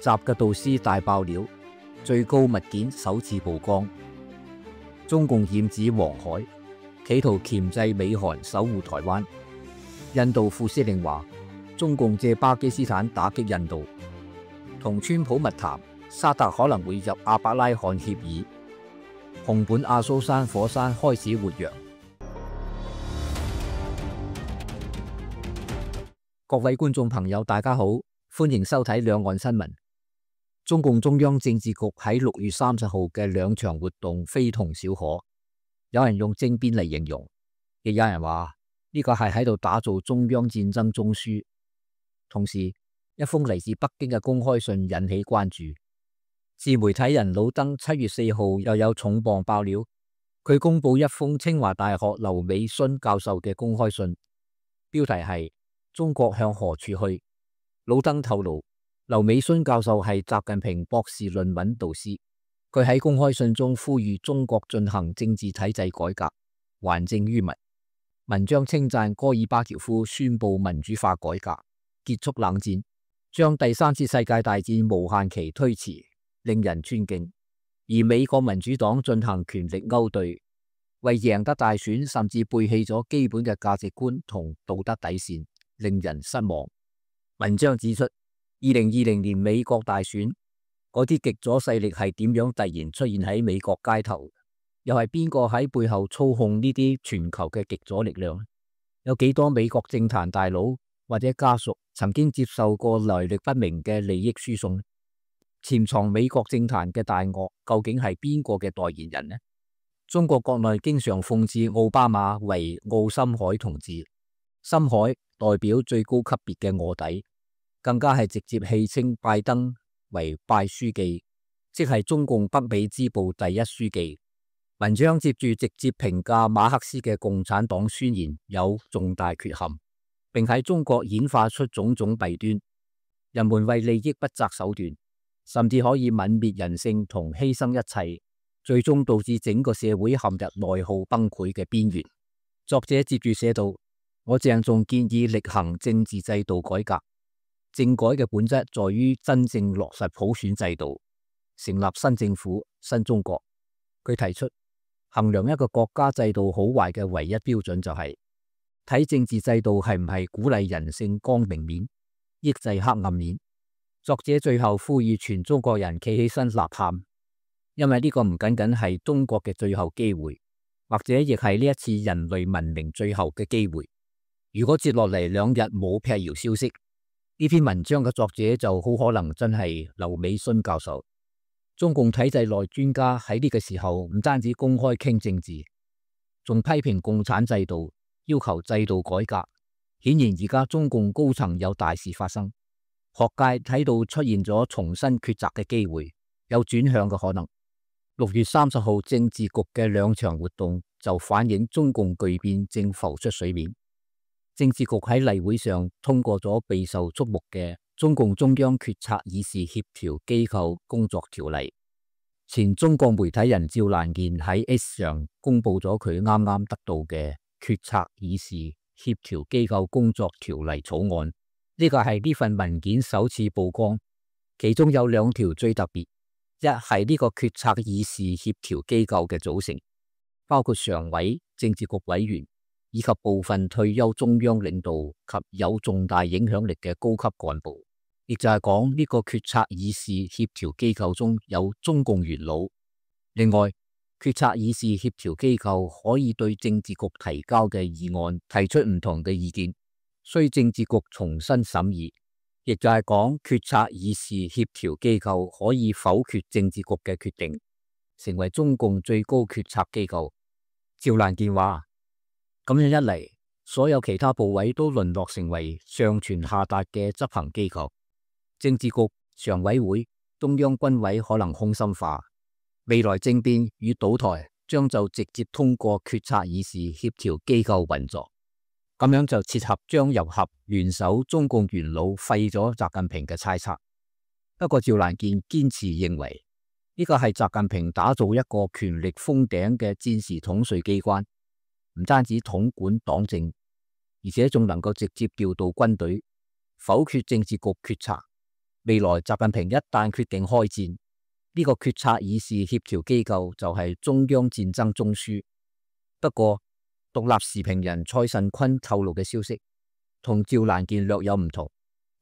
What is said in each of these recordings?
習嘅導師大爆料，最高物件首次曝光。中共劍指黃海，企圖鉗制美韓守護台灣。印度副司令話，中共借巴基斯坦打擊印度。同川普密談，沙特可能會入阿伯拉罕協議。紅本阿蘇山火山開始活躍。各位觀眾朋友，大家好，歡迎收睇兩岸新聞。中共中央政治局喺6月30號嘅兩場活動非同小可，有人用政變嚟形容，亦有人話呢個係喺度打造中央戰爭中樞。同時，一封嚟自北京嘅公開信引起關注。自媒體人老登7月4號又有重磅爆料，佢公布一封清華大學劉美勳教授嘅公開信，標題係中國向何處去。老登透露，劉美勳教授係習近平博士論文導師，佢喺公開信中呼籲中國進行政治體制改革，還政於民。文章稱讚戈爾巴喬夫宣布民主化改革，結束冷戰，將第3次世界大戰無限期推遲，令人尊敬。而美國民主黨進行權力勾兌，為贏得大選，甚至背棄咗基本嘅價值觀同道德底線，令人失望。文章指出，2020年美國大選，嗰啲極左勢力係點樣突然出現喺美國街頭？又係邊個喺背後操控呢啲全球嘅極左力量？有幾多美國政壇大佬或者家屬曾經接受過來歷不明嘅利益輸送？潛藏美國政壇嘅大鱷究竟係邊個嘅代言人呢？中國國內經常諷刺奧巴馬為奧森海同志，森海代表最高級別嘅臥底，更加係直接戲稱拜登為拜書記，即係中共北美支部第一書記。文章接住直接評價馬克思嘅共產黨宣言有重大缺陷，並喺中國演化出種種弊端，人們為利益不擇手段，甚至可以泯滅人性同犧牲一切，最終導致整個社會陷入內耗崩潰嘅邊緣。作者接住寫道，我鄭重建議力行政治制度改革。政改嘅本質在於真正落實普選制度，成立新政府、新中國。佢提出，衡量一個國家制度好壞嘅唯一標準就係睇政治制度係唔係鼓勵人性光明面，抑制黑暗面。作者最後呼籲全中國人企起身吶喊，因為呢個唔僅僅係中國嘅最後機會，或者亦係呢一次人類文明最後嘅機會。如果接落嚟2日冇闢謠消息，呢篇文章嘅作者就好可能真係劉美勳教授。中共體制內專家喺呢個時候唔單止公開傾政治，仲批評共產制度，要求制度改革。顯然而家中共高層有大事發生，學界睇到出現咗重新抉擇嘅機會，有轉向嘅可能。6月30號政治局嘅2場活動就反映中共巨變正浮出水面。政治局喺例會上通過咗備受矚目嘅中共中央決策議事協調機構工作條例。前中國媒體人趙蘭健喺 X 上公布咗佢啱啱得到嘅決策議事協調機構工作條例草案。呢個係呢份文件首次曝光，其中有2條最特別。一係呢個決策議事協調機構嘅組成，包括常委、政治局委員以及部分退休中央領導及有重大影響力嘅高級幹部，亦就係講呢個決策議事協調機構中有中共元老。另外，決策議事協調機構可以對政治局提交嘅議案提出唔同嘅意見，需政治局重新審議。亦就係講決策議事協調機構可以否決政治局嘅決定，成為中共最高決策機構。趙蘭健話，咁樣一嚟，所有其他部委都淪落成為上傳下達嘅執行機構，政治局、常委會、中央軍委可能空心化，未來政變與倒台將就直接通過決策議事協調機構運作，咁樣就切合張又俠聯手中共元老廢咗習近平嘅猜測。不過趙蘭健堅持認為，呢個係習近平打造一個權力封頂嘅戰時統帥機關，唔單止統管黨政，而且仲能夠直接調度軍隊，否決政治局決策。未來習近平一旦決定開戰，呢個決策議事協調機構就係中央戰爭中樞。不過，獨立時評人蔡慎坤透露嘅消息同趙蘭健略有唔同。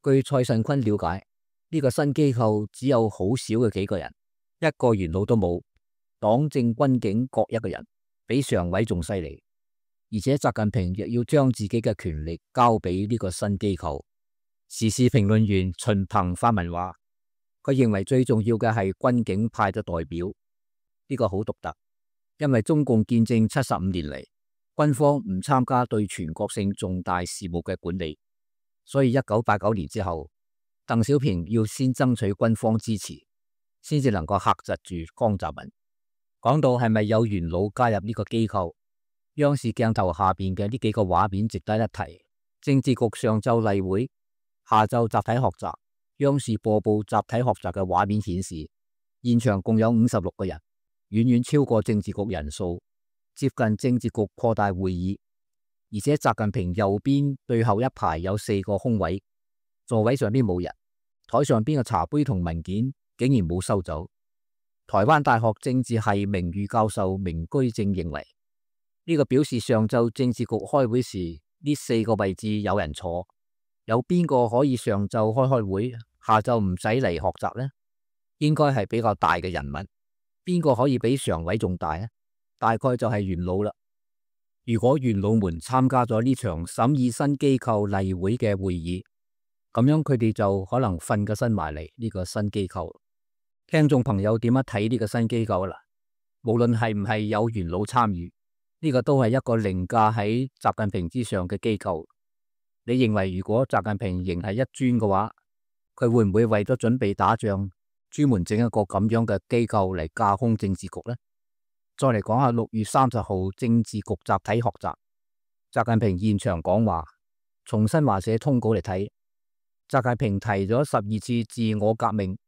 據蔡慎坤了解，呢個新機構只有好少嘅幾個人，一個元老都冇，黨政軍警各一個人，比常委仲犀利。而且習近平亦要將自己嘅權力交俾呢個新機構。時事評論員秦鵬發文話，佢認為最重要嘅係軍警派嘅代表，呢個好獨特，因為中共建政75年嚟，軍方唔參加對全國性重大事務嘅管理，所以1989年之後，鄧小平要先爭取軍方支持，先至能夠嚇窒住江澤民。講到係咪有元老加入呢個機構，央視鏡頭下邊嘅呢幾個畫面值得一提。政治局上晝例會，下晝集體學習。央視播報集體學習嘅畫面顯示，現場共有56個人，遠遠超過政治局人數，接近政治局擴大會議。而且習近平右邊最後一排有4個空位，座位上邊冇人，台上邊嘅茶杯同文件竟然冇收走。台灣大學政治系名譽教授明居正認為，呢個表示上晝政治局開會時呢4個位置有人坐。有邊個可以上晝開會，下晝唔使嚟學習呢？應該係比較大嘅人物。邊個可以比常委仲大呢？大概就係元老啦。如果元老們參加咗呢場審議新機構例會嘅會議，咁樣佢哋就可能瞓個身埋嚟呢個新機構。聽眾朋友點樣睇呢個新機構啦？無論係唔係有元老參與，呢個都係一個凌駕喺習近平之上嘅機構。你認為如果習近平仍係一尊嘅話，佢會唔會為咗準備打仗，專門整一個咁樣嘅機構嚟架空政治局呢？再嚟講下6月30號政治局集體學習，習近平現場講話。從新華社通稿嚟睇，習近平提咗12次自我革命，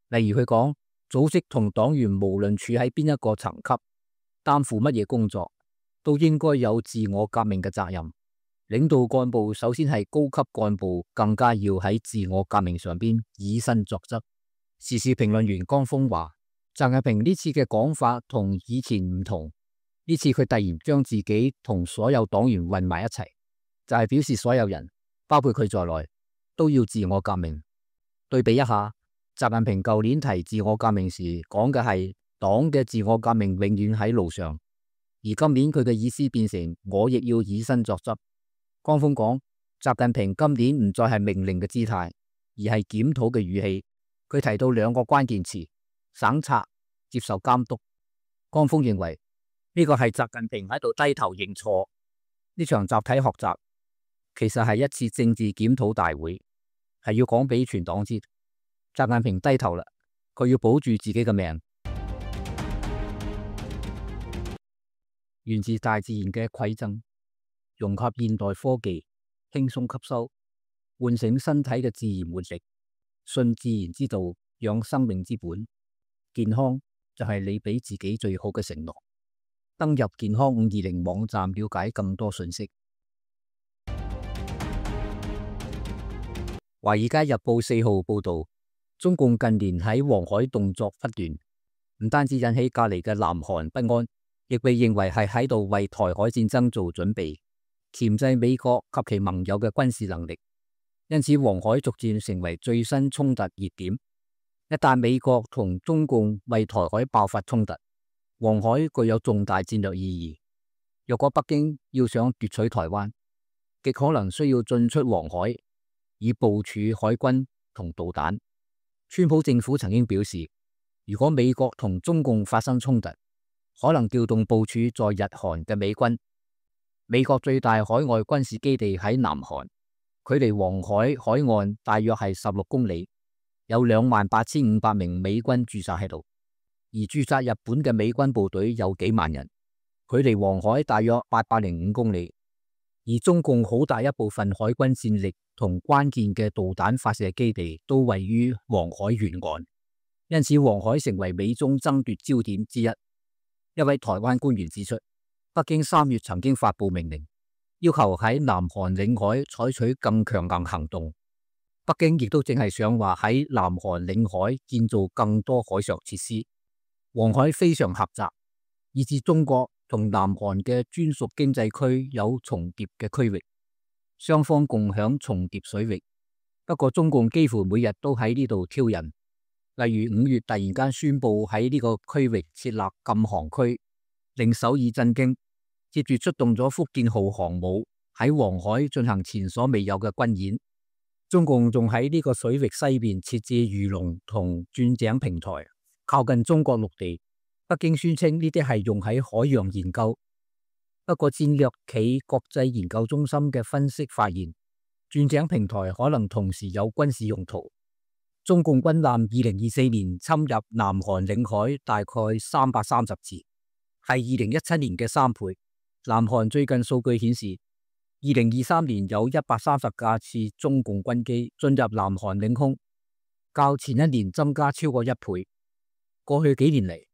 例如佢講組織同黨員無論處喺邊一個層級，擔負乜嘢工作，都應該有自我革命嘅責任。領導幹部首先係高級幹部，更加要喺自我革命上邊以身作則。時事評論員江峰話，習近平呢次嘅講法同以前唔同，呢次佢突然將自己同所有黨員混埋一齊，就係表示所有人，包括佢在內，都要自我革命。對比一下，習近平舊年提自我革命時講嘅係黨嘅自我革命永遠喺路上，而今年佢嘅意思變成我亦要以身作則。江峰講，習近平今年唔再係命令嘅姿態，而係檢討嘅語氣。佢提到2個關鍵詞：省察、接受監督。江峰認為呢個係習近平喺度低頭認錯。呢場集體學習其實係一次政治檢討大會，係要講俾全黨知，習近平低頭啦，佢要保住自己嘅命。源自大自然嘅饋贈，融合現代科技，輕鬆吸收，喚醒身體嘅自然活力，信自然之道，養生命之本。健康就係你俾自己最好嘅承諾。登入健康520網站了解更多信息。華爾街日報4號報道，中共近年喺黃海動作不斷，唔單止引起隔籬嘅南韓不安，亦被認為係喺度為台海戰爭做準備，鉗制美國及其盟友嘅軍事能力。因此，黃海逐漸成為最新衝突熱點。一旦美國同中共為台海爆發衝突，黃海具有重大戰略意義。若果北京要想奪取台灣，極可能需要進出黃海，以部署海軍同導彈。川普政府曾經表示，如果美國同中共發生衝突，可能調動部署在日韓嘅美軍。美國最大海外軍事基地喺南韓，距離黃海海岸大約係16公里，有28,500名美軍駐紮喺度。而駐紮日本嘅美軍部隊有幾萬人，距離黃海大約805公里。而中共好大一部分海軍戰力同關鍵嘅導彈發射基地都位於黃海沿岸，因此黃海成為美中爭奪焦點之一。一位台灣官員指出，北京3月曾經發布命令，要求喺南韓領海採取更強硬行動，北京亦都淨係想話喺南韓領海建造更多海上設施。黃海非常狹窄，以致中國同南韓嘅專屬經濟區有重疊嘅區域，雙方共享重疊水域。不過中共幾乎每日都喺呢度挑釁，例如5月突然間宣布喺呢個區域設立禁航區，令首爾震驚。接住出動咗福建號航母喺黃海進行前所未有嘅軍演。中共仲喺呢個水域西邊設置魚龍同鑽井平台，靠近中國陸地。北京宣稱呢啲係用喺海洋研究。不過戰略企國際研究中心嘅分析發現，鑽井平台可能同時有軍事用途。中共軍艦2024年侵入南韓領海大概330次，係2017年嘅3倍。南韓最近數據顯示，2023年有130架次中共軍機進入南韓領空，較前一年增加超過1倍。過去幾年嚟，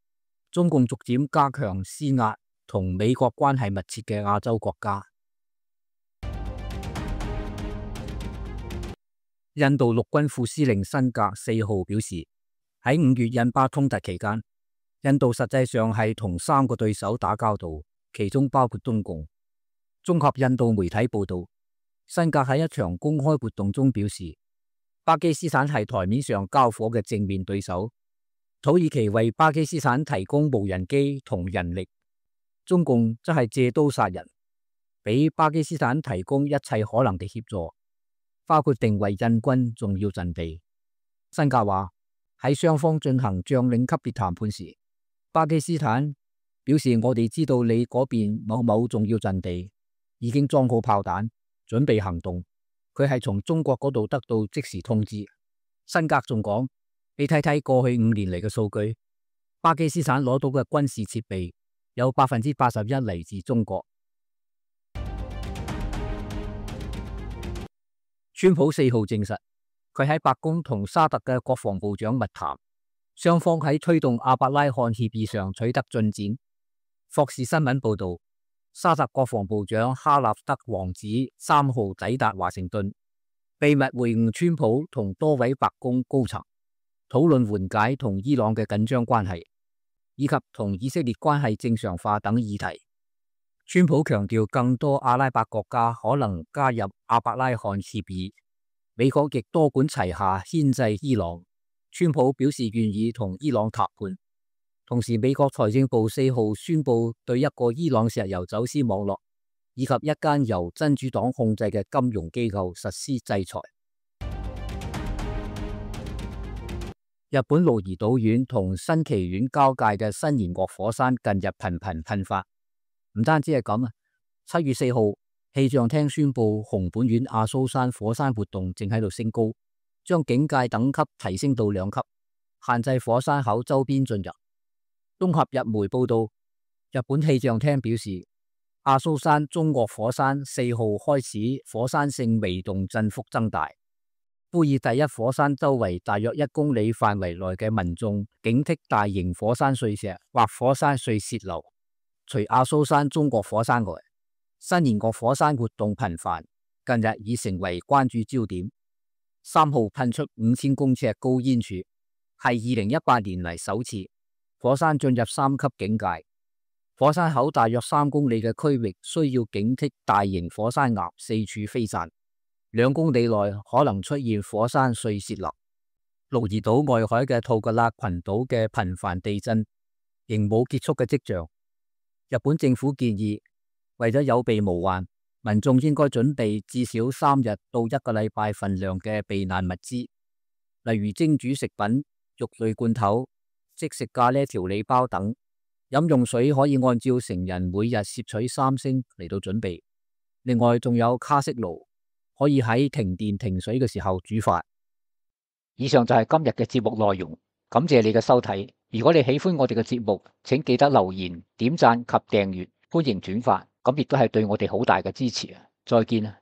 中共逐漸加強施壓同美國關係密切嘅亞洲國家。印度陸軍副司令辛格4號表示，喺5月印巴衝突期間，印度實際上係同3個對手打交道，其中包括中共。綜合印度媒體報道，辛格喺一場公開活動中表示，巴基斯坦係台面上交火嘅正面對手，土耳其為巴基斯坦提供無人機同人力，中共則係借刀殺人，俾巴基斯坦提供一切可能嘅協助，包括定位印軍重要陣地。辛格話喺雙方進行將領級別談判時，巴基斯坦表示我哋知道你嗰邊某某重要陣地已經裝好炮彈，準備行動。佢係從中國嗰度得到即時通知。辛格仲講，你睇睇過去5年嚟嘅數據，巴基斯坦攞到嘅軍事設備有81%嚟自中國。川普4號證實，佢喺白宮同沙特嘅國防部長密談，雙方喺推動阿伯拉罕協議上取得進展。霍士新聞報道，沙特國防部長哈納德王子3號抵達華盛頓，秘密會晤川普同多位白宮高層，討論緩解同伊朗嘅緊張關係，以及同以色列關係正常化等議題。川普強調，更多阿拉伯國家可能加入阿伯拉罕協議，美國亦多管齊下牽制伊朗。川普表示願意同伊朗談判。同時，美國財政部4號宣布對一個伊朗石油走私網絡以及一間由真主黨控制嘅金融機構實施制裁。日本鹿兒島縣同新崎縣交界嘅新舷岳火山近日頻頻噴發。唔單止係咁啊，7月4號氣象廳宣布熊本縣阿蘇山火山活動正喺度升高，將警戒等級提升到2級，限制火山口周邊進入。綜合日媒報道，日本氣象廳表示，阿蘇山中岳火山4號開始火山性微動振幅增大，呼籲第一火山周圍大約1公里範圍內嘅民眾警惕大型火山碎石或火山碎洩流。除阿蘇山中岳火山外，新舷岳火山活動頻繁，近日已成為關注焦點。3號噴出5000公尺高煙柱，係2018年嚟首次。火山進入3級警戒，火山口大約3公里嘅區域需要警惕大型火山岩四處飛散，2公里內可能出現火山碎洩流。鹿兒島外海嘅吐格拉群島嘅頻繁地震仍冇結束嘅跡象。日本政府建議，為咗有備無患，民眾應該準備至少3日到1個禮拜份量嘅避難物資，例如蒸煮食品、肉類罐頭、即食咖喱調理包等。飲用水可以按照成人每日攝取3升嚟到準備。另外仲有卡式爐，可以喺停電停水嘅時候煮飯。以上就係今日嘅節目內容，感謝你嘅收睇。如果你喜歡我哋嘅節目，請記得留言、點讚及訂閱，歡迎轉發，咁亦都係對我哋好大嘅支持啊！再見啊！